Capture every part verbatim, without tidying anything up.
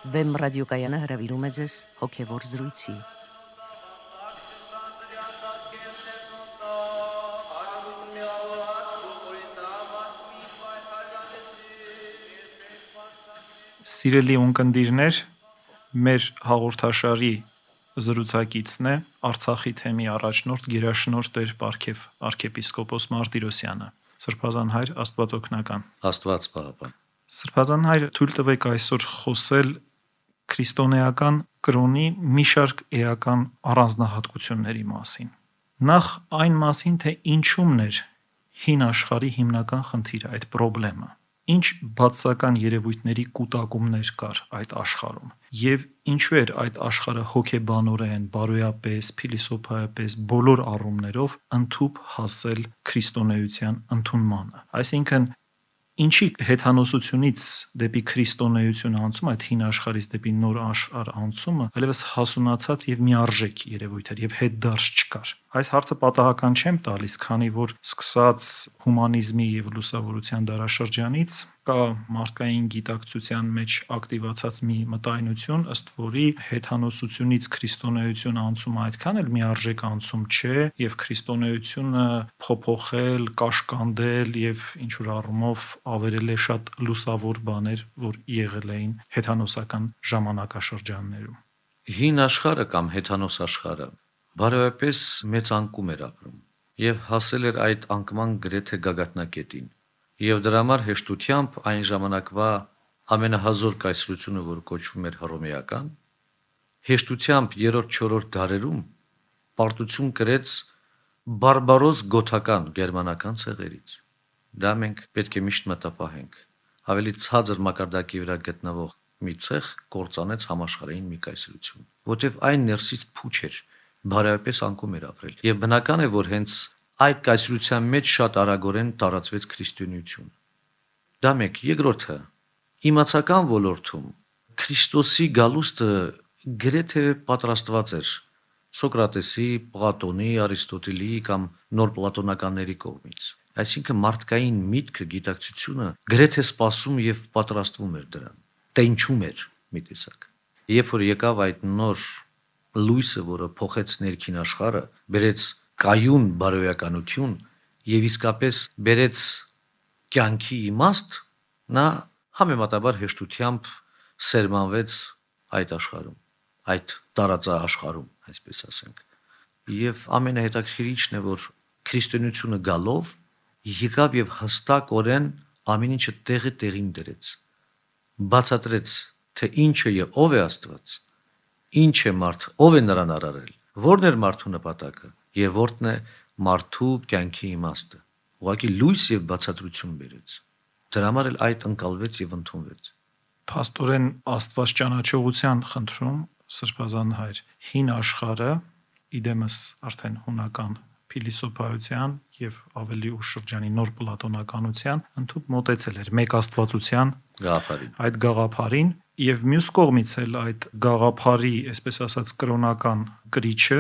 Վեմ ռադիոկայանը հրավիրում է ձեզ հոգևոր զրույցի։ Սիրելի ունկնդիրներ, մեր հաղորդաշարի զրուցակիցն է Արցախի թեմի առաջնորդ գերաշնորհ Տեր Պարքև arczepiskopos Մարտիրոսյանը։ Սրբազան հայր, Աստված օգնական։ Աստված պահապան։ Սրբազան հայր, թույլ տվեք այսօր խոսել քրիստոնեական կրոնի մի շարք էական առանձնահատկությունների մասին։ Նախ այն մասին, թե ինչումն էր հին աշխարհի հիմնական խնդիրը, այդ խնդրեմը։ Ինչ բացասական երևույթների կուտակումներ կար այդ աշխարհում եւ ինչու էր այդ աշխարհը հոգեբանորեն, բարոյապես, փիլիսոփայապես բոլոր առումներով ընդհուպ հասել քրիստոնեության ընդունմանը։ Այսինքն ինչի հեթանոսությունից դեպի քրիստոնեություն անցումը, այդ հին աշխարհից դեպի նոր աշխարհ անցումը այլևս հասունացած եւ միարժեք երևույթ էր եւ հետդարձ չկար։ Այս հարցը պատահական չեմ տալիս, քանի որ սկսած հումանիզմի եւ լուսավորության դարաշրջանից կա մարդկային գիտակցության մեջ ակտիվացած մի մտայնություն, ըստ որի հեթանոսությունից քրիստոնեություն անցումը այդքան էլ միարժեք անցում չէ եւ քրիստոնեությունը փոփոխել, կաշկանդել եւ ինչ որ առումով ավերել է շատ լուսավոր բաներ, որ եղել էին հեթանոսական ժամանակաշրջաններում։ Հին աշխարհը կամ հեթանոս աշխարհը բարոյապես մեծ անկում էր ապրում եւ հասել էր այդ անկման գրեթե գագաթնակետին։ Եվ դրա համար հեշտությամբ այն ժամանակվա ամենահազոր կայսրությունը, որ կոչվում էր հռոմեական, հեշտությամբ երրորդ-չորրորդ դարերում պարտություն կրեց բարբարոս գոթական գերմանական ցեղերից։ Դա մենք պետք է միշտ մտապահենք։ Ավելի ցածր մակարդակի վրա գտնվող մի ցեղ կործանեց համաշխարհային մի կայսրություն, որտեղ այն ներսից փուչ էր, բարոյապես անկում էր ապրել։ Եվ բնական է, որ հենց այդ կայսրության մեջ շատ արագորեն տարածվեց քրիստոնեություն։ Դա մեկ, երկրորդը, իմացական ոլորտում Քրիստոսի գալուստը գրեթե պատրաստված էր Սոկրատեսի, Պլատոնի, Արիստոտելի կամ նոր պլատոնականների կողմից։ Այսինքն մարդկային միտքը, գիտակցությունը գրեթե սպասում եւ պատրաստվում էր դրան, տենչում էր մի տեսակ։ Երբ որ եկավ այդ նոր լույսը, որը փոխեց ներքին աշխարհը, բերեց կայուն բարոյականություն եւ իսկապես բերեց կյանքի իմաստ, նա համեմատաբար հեշտությամբ սերմանվեց այդ աշխարհում, այդ տարածաաշխարհում, այսպես ասենք։ Եվ ամենահետաքրքիրիչն է, որ քրիստոնեությունը գալով եկավ եւ հստակորեն ամեն ինչը տեղի տեղին դրեց, բացատրեց, թե ինչը եւ ով է Աստված, ինչ է մարդ, ով է նրան արարել, որն էր մարդու նպատակը եւ որն է մարդու կյանքի իմաստը։ Ուղղակի լույս եւ բացատրություն բերեց։ Դրա համար էլ այդ ընկալվեց եւ ընդունվեց։ Փաստորեն Աստված ճանաչողության խնդրում սրբազան հայր հին աշխարհը իդեմս արդեն հունական փիլիսոփայության եւ ավելի ուշ շրջանի նոր պլատոնականության ընդհանուր մոտեցել էր մեկ աստվածության գաղափարին։ Այդ գաղափարին եւ մյուս կողմից էլ այդ գաղափարի, այսպես ասած, կրոնական կրիչը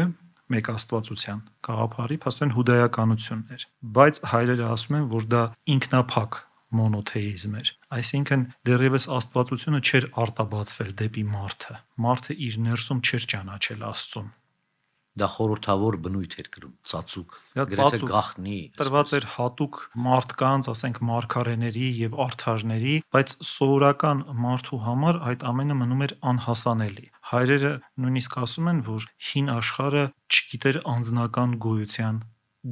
մեկ աստվածության գաղափարի փաստորեն հուդայականությունն էր, բայց հայրերը ասում են, որ դա ինքնափակ մոնոթեիզմ էր, այսինքն դեռևս աստվածությունը չէր արտաբացվել դեպի մարդը, մարդը իր ներսում չէր ճանաչել Աստծուն։ Դա խորհրդավոր բնույթ էր կրում, ծածուկ, Դա գրեթե ծածուկ, գաղտնի, տրված էր հատուկ մարդկանց, ասենք մարգարեների եւ արդարների, բայց սովորական մարդու համար այդ ամենը մնում էր անհասանելի։ Հայրերը նույնիսկ ասում են, որ հին աշխարհը չգիտեր անձնական գոյության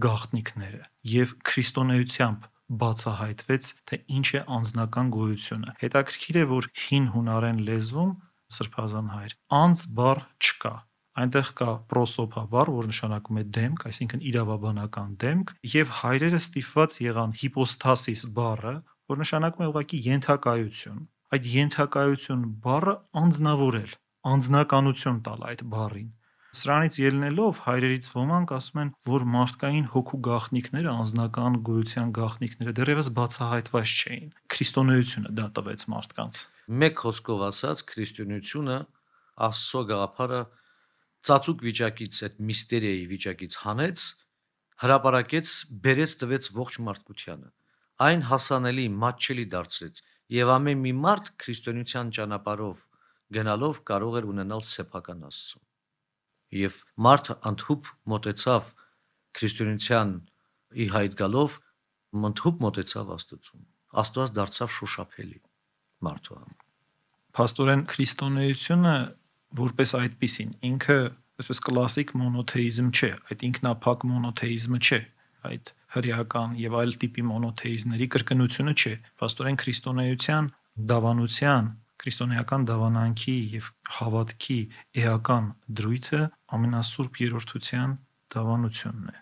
գաղտնիքները եւ քրիստոնեությամբ բացահայտվեց, թե ինչ է անձնական գոյությունը։ Հետաքրքիր է, որ հին հունարեն լեզվում սրբազան հայր անձ բառ չկա։ Այնտեղ կա պրոսոփա բառ, որ նշանակում է դեմք, այսինքն իրավաբանական դեմք, եւ հայրերը ստիպված եղան հիպոստասիս բառը, որ նշանակում է ուղղակի ենթակայություն։ Այդ ենթակայություն բառը անձնավորել, անձնականություն տալ այդ բառին։ Սրանից ելնելով հայրերից ոմանք ասում են, որ մարդկային հոգու գաղտնիքները, անձնական գոյության գաղտնիքները դեռևս բացահայտված չէին։ Քրիստոնեությունը դա տվեց մարդկանց։ Մեկ խոսքով ասած, քրիստոնեությունը Աստծո գաղափարը ծածուկ վիճակից, այդ միստերիայի վիճակից հանեց, հրապարակեց, բերեց տվեց ողջ մարդկությանը։ Այն հասանելի, մատչելի դարձրեց, եւ ամեն մի մարդ քրիստոնեության ճանապարհով գնալով կարող էր ունենալ սեփական Աստծուն։ Եվ մարդը ընդհուպ մոտեցավ քրիստոնեության ի հայտ գալով, ընդհուպ մոտեցավ Աստծուն։ Աստված դարձավ շոշափելի մարդու համար։ Փաստորեն քրիստոնեությունը որպես այդպիսին ինքը այսպես կլասիկ մոնոթեիզմ չէ, այդ ինքնափակ մոնոթեիզմը չէ, այդ հրեական եւ այլ տիպի մոնոթեիզմների կրկնությունը չէ։ Փաստորեն քրիստոնեության դավանության, քրիստոնեական դավանանքի եւ հավատքի էական դրույթը ամենասուրբ երրորդության դավանությունն է,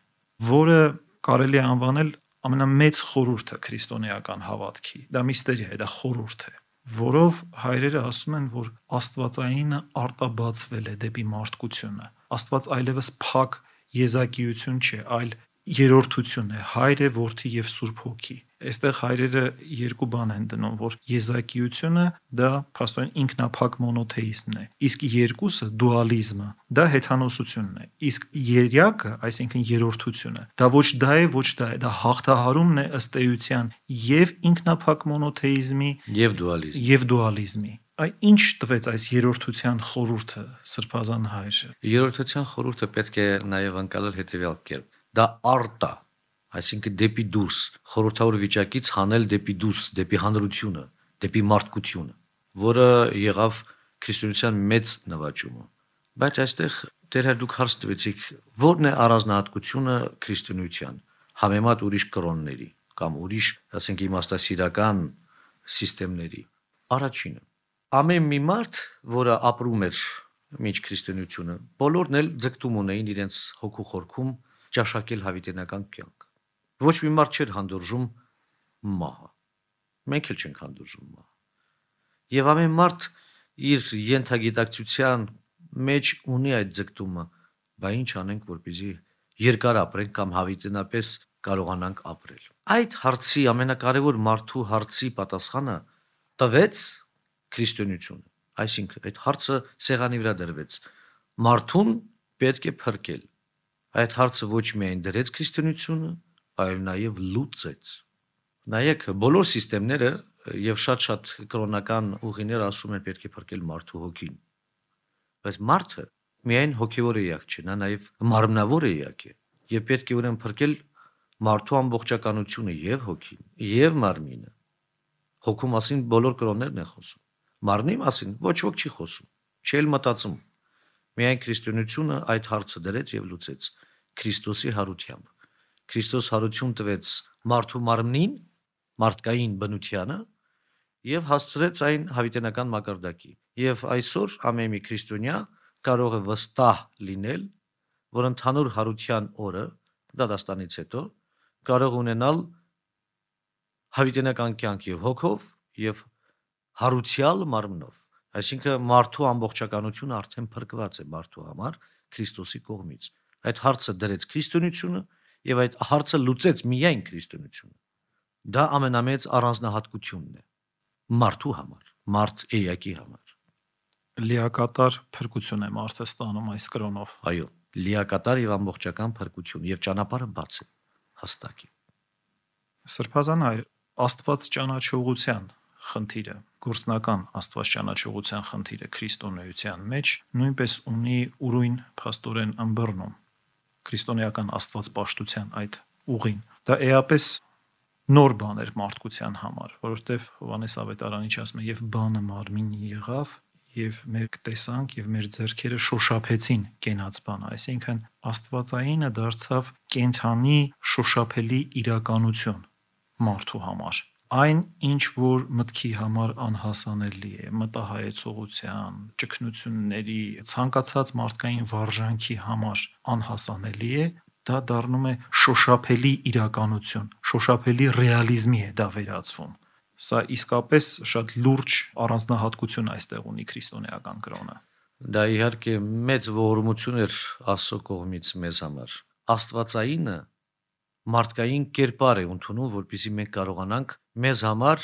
որը կարելի է անվանել ամենամեծ խորհուրդը քրիստոնեական հավատքի։ Դա միստերիա է, դա խորհուրդ է, որով հայրերը ասում են, որ Աստվածայինը արտաբացվել է դեպի մարդկությունը։ Աստված այլևս փակ եզակիություն չէ, այլ երրորդություն է, Հայր է, Որդի եւ Սուրբ Հոգի։ Այստեղ հայրերը երկու բան են դնում, որ եզակիությունը դա փաստորեն ինքնափակ մոնոթեիզմն է, իսկ երկուսը դուալիզմը դա հեթանոսությունն է, իսկ երյակը, այսինքն երրորդությունը, դա ոչ դա է, ոչ դա է, դա հաղթահարումն է ըստ էության եւ ինքնափակ մոնոթեիզմի Եվ դուալիզմ։ եւ դուալիզմի։ Այ ինչ տվեց այս երրորդության խորհուրդը Սրբազան հայրը։ Երրորդության խորհուրդը պետք է նաև անցնել հետևյալ կերպ։ Դա արտա, այսինքն դեպի դուրս, խորհրդավոր վիճակից հանել դեպի դուրս, դեպի հանրությունը, դեպի մարդկությունը, որը եղավ քրիստոնեության մեծ նվաճումը։ Բայց այստեղ դեռ դուք հարց տվեցիք, ո՞րն է առանձնահատկությունը քրիստոնեության համեմատ ուրիշ կրոնների կամ ուրիշ, ասենք, իմաստասիրական սիստեմների։ Առաջինը, ամեն մի մարդ, որը ապրում էր միջ քրիստոնեությունը, բոլորն էլ ձգտում ունեին իրենց հոգու խորքում ճաշակել հավիտենական կյանք։ Ոչ մի մարդ չէր հանդուրժում մահը։ Մենք էլ չենք հանդուրժում մահը։ Եվ ամեն մարդ իր ենթագիտակցության մեջ ունի այդ ձգտումը, բա ինչ անենք, որպեսզի երկար ապրենք կամ հավիտենապես կարողանանք ապրել։ Այդ հարցի ամենակարևոր մարդու հարցի պատասխանը տվեց քրիստոնեությունը։ Այսինքն այդ հարցը սեղանի վրա դրվեց։ Մարդուն պետք է փրկել։ Այդ հարցը ոչ միայն դրեց քրիստոնեությունը, այլ նաև լուծեց։ Նայեք, բոլոր սիստեմները եւ շատ-շատ կրոնական ուղիներ ասում են պետք է փրկել մարդու հոգին։ Բայց մարդը միայն հոգևոր էակ չէ, նա նաև մարմնավոր էակ է եւ պետք է ուրեմն փրկել մարդու ամբողջականությունը եւ հոգին, եւ մարմինը։ Հոգու մասին բոլոր կրոններն են խոսում։ Մարմնի մասին ոչ ոք չի խոսում, չի էլ մտածում։ Միայն քրիստոնեությունը այդ հարցը դրեց եւ լուծեց Քրիստոսի հարությամբ։ Քրիստոս հարություն տվեց մարդու մարմնին, մարդկային բնությանը եւ հասցրեց այն հավիտենական մակարդակի։ Եվ այսօր ամեն մի քրիստոնյա կարող է վստահ լինել, որ ընդհանուր հարության օրը դատաստանից հետո կարող ունենալ հավիտենական կյանք եւ հոգով եւ հարուցյալ մարմնով, այսինքն մարդու ամբողջականությունը արդեն փրկված է մարդու համար Քրիստոսի կողմից։ Այդ հարցը դրեց քրիստոնեությունը եւ այդ հարցը լուծեց միայն քրիստոնեությունը։ Դա ամենամեծ առանձնահատկությունն է մարդու համար, մարդ էակի համար։ Լիակատար փրկություն է մարդը ստանում այս կրոնով։ Այո, լիակատար եւ ամբողջական փրկություն եւ ճանապարհը բաց է հստակ է։ Սրբազան հայր, Աստված ճանաչողության խնդիրը, գործնական Աստված ճանաչողության խնդիրը քրիստոնեության մեջ նույնպես ունի ուրույն փաստորեն ըմբռնում քրիստոնեական Աստվածպաշտության այդ ուղին։ Դա էապես նոր բան էր մարդկության համար, որովհետև Հովհաննես Ավետարանիչ ասում է եւ բանը մարմին եղավ եւ մեր տեսանք եւ մեր ձեռքերը շոշափեցին կենաց բանը, այսինքն Աստվածայինը դարձավ կենթանի շոշափելի իրականություն մարդու համար։ Այն, ինչ որ մտքի համար անհասանելի է, մտահայեցողության, ճգնությունների, ցանկացած մարդկային վարժանքի համար անհասանելի է, դա դառնում է շոշափելի իրականություն, շոշափելի ռեալիզմի է դա վերածվում։ Սա իսկապես շատ լուրջ առանձնահատկություն այստեղ ունի քրիստոնեական կրոնը։ Դա իհարկե մեծ ողորմություն էր Աստծո կողմից մեզ համար։ Աստվածայինը մարդկային կերպար է ընդունում, որպեսզի մենք կարողանանք մեզ համար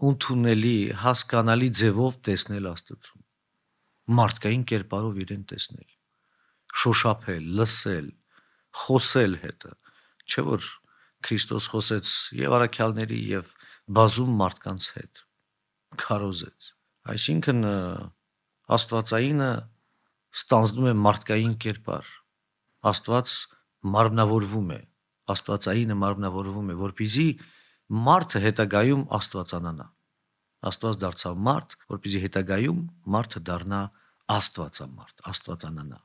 ընդունելի, հասկանալի ձևով տեսնել Աստծուն։ Մարդկային կերպարով իրեն տեսնել, շոշափել, լսել, խոսել հետը, չէ՞ որ Քրիստոս խոսեց եւ առաքյալների եւ բազում մարդկանց հետ, քարոզեց։ Այսինքն Աստվածայինը ստանձնում է մարդկային կերպար։ Աստված մարմնավորվում է, Աստվածայինը մարմնավորվում է, որպեսզի մարդը հետագայում Աստվածանանա։ Աստված դարձավ մարդ, որպեսզի հետագայում մարդը դառնա Աստվածամարդ, Աստվածանանա։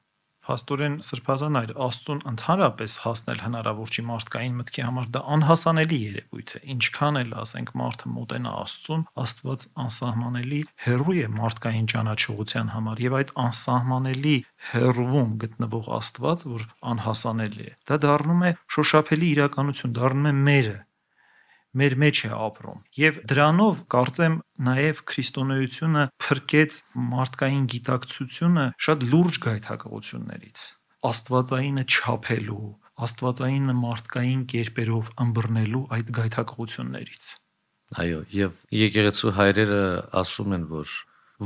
Փաստորեն սրբազան այր Աստծուն ընդհանրապես հասնել հնարավոր չի մարդկային մտքի համար, դա անհասանելի երևույթ է։ Ինչքան էլ ասենք մարդը մոտենա Աստծուն, Աստված անսահմանելի հեռու է մարդկային ճանաչողության համար, եւ այդ անսահմանելի հեռվում գտնվող Աստված, որ անհասանելի է, դա դառնում է շոշափելի իրականություն, դառնում է մերը, մեր մեջ է ապրում։ Եվ դրանով կարծեմ նաև քրիստոնեությունը փրկեց մարդկային գիտակցությունը շատ լուրջ գայթակղություններից։ Աստվածայինը չափելու, Աստվածայինը մարդկային կերպերով ըմբռնելու այդ գայթակղություններից։ Այո, եւ եկեղեցու հայրերը ասում են, որ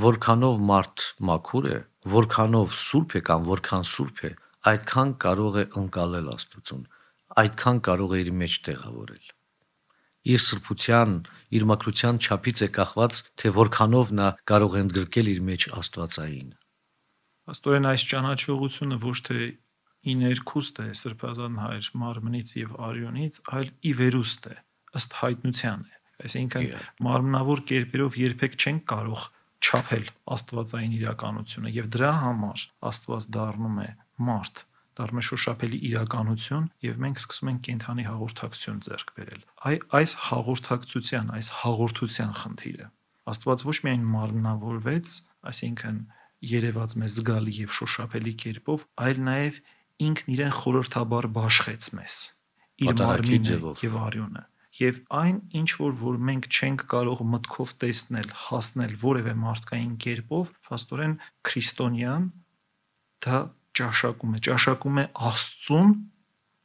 որքանով մարդ մաքուր է, որքանով սուրբ է կամ որքան սուրբ է, այդքան կարող է ընկալել Աստծուն, այդքան կարող է իր մեջ տեղավորել։ Իր սրբության, իր մաքրության չափից է կախված, թե որքանով նա կարող է ընդգրկել իր մեջ Աստվածային։ Աստորեն այս ճանաչողությունը ոչ թե ի ներքուստ է սրբազան հայր մարմնից եւ արյունից, այլ ի վերուստ է, ըստ հայտնության է։ Այսինքն մարմնավոր կերպերով երբեք չենք կարող չափել Աստվածային իրականությունը, եւ դրա համար Աստված դառնում է մարդ, դառնում է շոշափելի իրականություն, եւ մենք սկսում ենք կենթանի հաղորդակցություն ձեռք բերել։ Այ այս հաղորդակցության, այս հաղորդության խնդիրը Աստված ոչ միայն մարմնավորվեց, այսինքն երևաց մեզ զգալի եւ շոշափելի կերպով, այլ նաեւ ինքն իրեն խորհրդաբար բաշխեց մեզ իր մարմինը եւ արյունը։ Եվ այն ինչ որ որ մենք չենք կարող մտքով տեսնել, հասնել որևէ մարդկային կերպով, փաստորեն քրիստոնյան դա ճաշակում է, ճաշակում է Աստծուն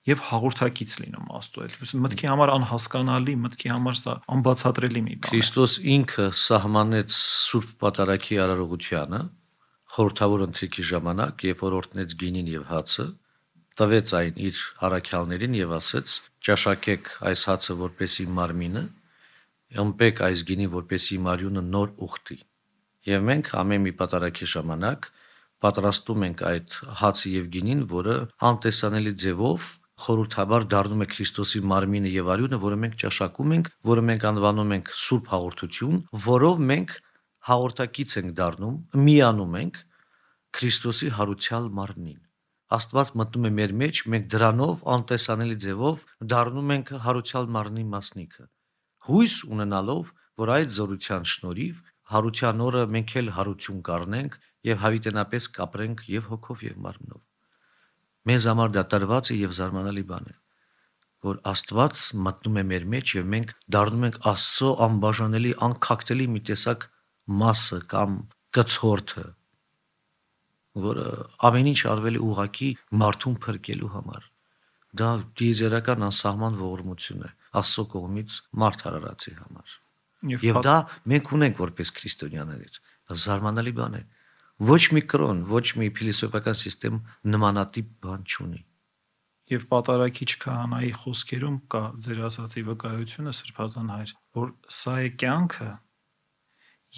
եւ հաղորդակից լինում Աստծո հետ։ Մտքի համար անհասկանալի, մտքի համար սա անբացատրելի մի բան է։ Քրիստոս ինքը սահմանեց Սուրբ Պատարագի արարողությանը խորհրդավոր ընթրիքի ժամանակ, երբ որ օրհնեց գինին եւ հացը, տվեց այն իր առաքյալներին եւ ասեց. «Ճաշակեք այս հացը, որպեսի մարմինը, ըմպեք այս գինին, որպեսի մարյունը նոր ուխտի»։ Եվ մենք ամեն մի պատարագի ժամանակ պատրաստում ենք այդ հացը եւ գինին, որը անտեսանելի ձևով խորհրդաբար դառնում է Քրիստոսի մարմինը եւ արյունը, որը մենք ճաշակում ենք, որը մենք անվանում ենք Սուրբ Հաղորդություն, որով մենք հաղորդակից ենք դառնում, միանում ենք Քրիստոսի հարուցյալ մարմնին։ Աստված մտնում է մեր մեջ, մենք դրանով անտեսանելի ձևով դառնում ենք հարուցյալ մարմնի մասնիկը, հույս ունենալով, որ այդ զորության շնորհիվ հարության օրը մենք էլ հարություն կառնենք եւ հավիտենապես կապրենք եւ հոգով եւ մարմնով։ Մեզ համար դա տրված է եւ զարմանալի բան է, որ Աստված մտնում է մեր մեջ եւ մենք դառնում ենք Աստծո անբաժանելի, անքակտելի մի տեսակ մասը կամ կցորդը, որը ամեն ինչ արվել է ուղղակի մարդուն փրկելու համար։ Դա դիեզերական անսահման ողորմություն է Աստծո կողմից մարդ արարածի համար։ Եվ դա մենք ունենք որպես քրիստոնյաներ։ Դա զարմանալի բան է։ Ոչ մի կրոն, ոչ մի փիլիսոփական համակարգ նմանատիպ բան չունի։ Եվ պատարագիչ քահանայի խոսքերում կա ձեր ասացի վկայությունը սրբազան հայր, որ սա է կյանքը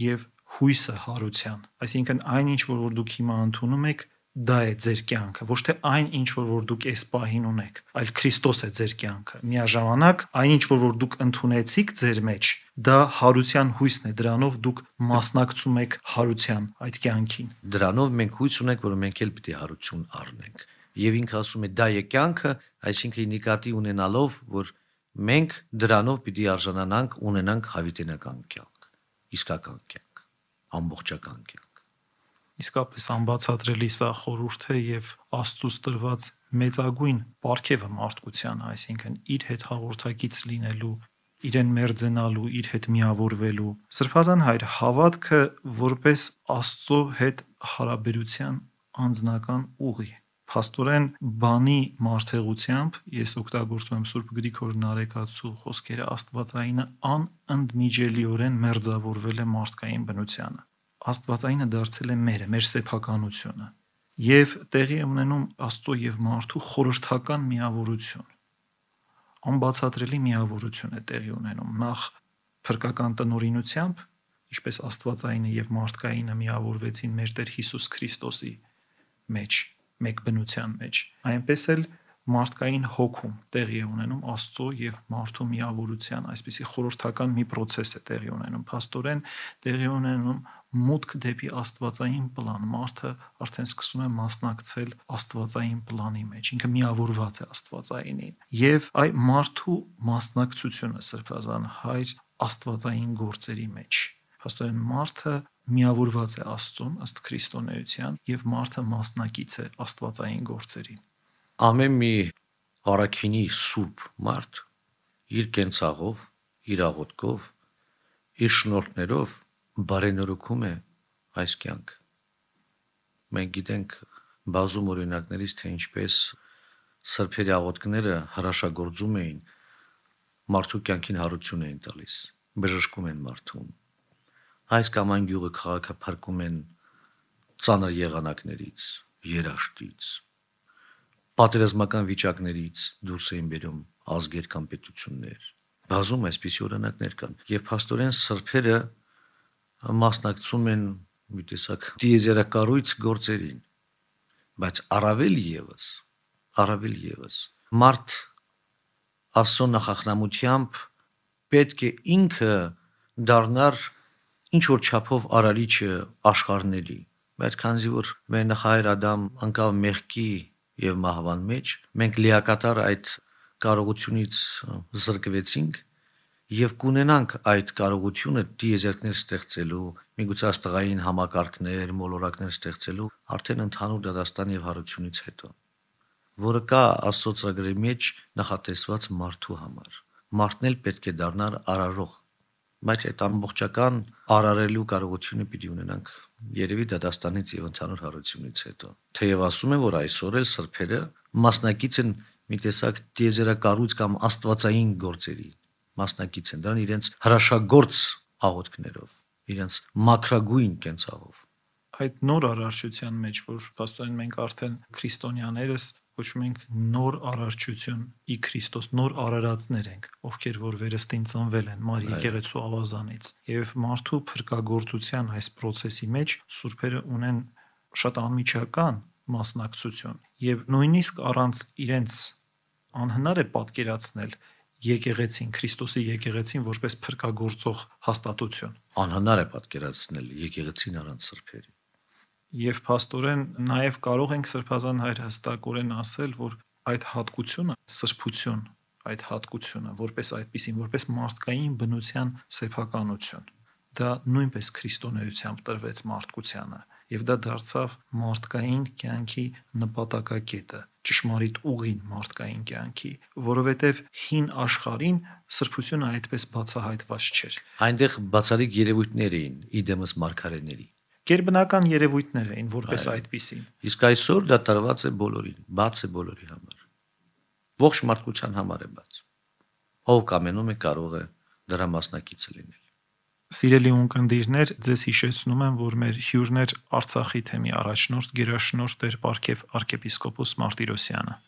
եւ հույսը հարության, այսինքն այն ինչ որ, որ դուք հիմա ընդունում եք, դա է ձեր կյանքը, ոչ թե այն ինչ որ, որ դուք այս պահին ունեք, այլ Քրիստոս է ձեր կյանքը։ Միաժամանակ այն ինչ որ, որ դուք ընդունեցիք ձեր մեջ, դա հարության հույսն է, դրանով դուք մասնակցում եք հարության այդ կյանքին։ Դրանով մենք հույս ունենք, որ մենք էլ պիտի հարություն առնենք։ Եվ ինքը ասում է դա է կյանքը, այսինքն նկատի ունենալով, որ մենք դրանով պիտի արժանանանք, ունենանք հավիտենական կյանք, իսկական կյանք, ամբողջական կյանք։ Իսկապես անբացատրելի սա խորհուրդ է եւ Աստծուց տրված մեծագույն պարգևը մարդկության, այսինքն իր հետ հաղորդակից լինելու, իրեն մերձենալու, իր հետ միավորվելու։ Սրբազան հայր, հավատքը որպես Աստծո հետ հարաբերության անձնական ուղի։ Փաստորեն բանի մարդեղությամբ ես օգտագործում եմ Սուրբ Գրիգոր Նարեկացու խոսքերը, Աստվածայինը անընդմիջելիորեն մերձավորվել է մարդկային բնությանը։ Աստվածայինը դարձել է մերը, մեր սեփականությունը, եւ տեղի է ունենում Աստծո եւ մարդու խորհրդական միավորություն։ Անբացատրելի միավորություն է տեղի ունենում նախ փրկական տնօրինությամբ ինչպես Աստվածայինը եւ մարդկայինը միավորվեցին մեր Տեր Հիսուս Քրիստոսի մեջ, մեկ բնության մեջ, այնպես էլ մարդկային հոգում տեղի է ունենում Աստծո եւ մարդու միավորության այսպիսի խորհրդական մի process է տեղի ունենում, փաստորեն տեղի ունենում մուտք դեպի աստվածային պլան, մարդը արդեն սկսում է մասնակցել աստվածային պլանի մեջ, ինքը միավորված է աստվածայինին եւ այ մարդու մասնակցությունը Սրբազան Հայր աստվածային գործերի մեջ, փաստորեն մարդը միավորված է Աստծուն ըստ քրիստոնեության եւ մարդը մասնակից է աստվածային գործերին։ Ամեն մի առաքինի սուրբ մարդ իր կենցաղով, իր աղոթքով, իր շնորհքներով բարենորոգում է այս կյանք։ Մենք գիտենք բազում օրինակներից, թե ինչպես սրբերի աղոթքները հրաշագործում էին մարդու կյանքին հարություն էին տալիս, բժշկում են մարդուն։ Այս կամ այն գյուղը քաղաքափրկում են ծանր եղանակներից, երաշտից, պատերազմական վիճակներից դուրս էին բերում ազգեր կամ պետություններ։ Բազում այսպիսի օրինակներ կան, եւ փաստորեն սրբերը մասնակցում են մի տեսակ դիեզերակառույց գործերին, բայց առավել եւս, առավել եւս մարդ Աստծո նախախնամությամբ պետք է ինքը դառնար ինչ որ չափով արարիչը աշխարհների, բայց քանզի որ մեր նախահայր Ադամ անկավ մեղքի եւ մահվան մեջ, մենք լիակատար այդ կարողությունից զրկվեցինք եւ կունենանք այդ կարողությունը դիեզերքներ ստեղծելու, միգուցե աստղային համակարգներ, մոլորակներ ստեղծելու արդեն ընդհանուր դատաստան եւ հարությունից հետո, որը կա Աստծո ծրագրի մեջ նախատեսված մարդու համար։ Մարդն էլ պետք է դառնար արարող, բայց այդ ամբողջական արարելու կարողությունը պիտի ունենանք երևի դատաստանից եւ ընդհանուր հարությունից հետո։ Թեև ասում են, որ այսօր էլ սրբերը մասնակից են մի տեսակ դիեզերակառույց կամ աստվածային գործերի, մասնակից են դրան իրենց հրաշագործ աղոթքներով, իրենց մաքրագույն կենցաղով։ Այդ նոր արարչության մեջ, որ փաստորեն մենք արդեն քրիստոնյաներս կոչում ենք նոր արարչություն ի Քրիստոս, նոր արարածներ ենք, ովքեր որ վերստին ծնվել են Մարի եկեղեցու ավազանից, եւ մարդու փրկagorցության այս process-ի մեջ սուրբերը ունեն շատ անմիջական մասնակցություն եւ նույնիսկ առանց իրենց անհնար է պատկերացնել եկեղեցին, Քրիստոսի եկեղեցին որպես փրկagorցող հաստատություն։ Անհնար է պատկերացնել եկեղեցին առանց սրբերի։ Եվ փաստորեն նաև կարող ենք Սրբազան Հայր հստակորեն ասել, որ այդ հատկությունը, սրբություն, այդ հատկությունը, որպես այդպիսին, որպես մարդկային բնության սեփականություն, դա նույնպես քրիստոնեությամբ տրվեց մարդկությանը, եւ դա դարձավ մարդկային կյանքի նպատակակետը, ճշմարիտ ուղին մարդկային կյանքի, որովհետեւ հին աշխարհին սրբությունը այդպես բացահայտված չէր։ Այնտեղ բացառիկ երևույթներ էին իդեմս մարգարեների։ Գերբնական երևույթներ էին որպես այդպիսին։ Իսկ այսօր դա տրված է բոլորին, բաց է բոլորի համար։ Ողջ մարդկության համար է բաց։ Ով կամենում է կարող է դրա մասնակիցը լինել։ Սիրելի ունկնդիրներ, ձեզ հիշեցնում եմ, որ մեր հյուրն էր Արցախի թեմի առաջնորդ գերաշնորհ Տեր Պարքև arczepiskopos Martirosyan-ը։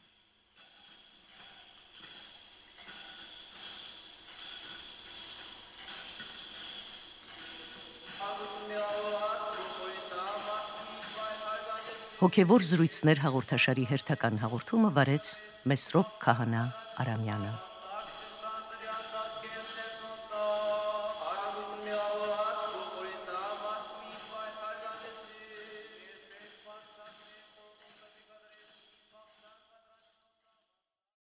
Հոգևոր զրույցներ հաղորդաշարի հերթական հաղորդումը վարեց Մեսրոպ Քահանա Արամյանը։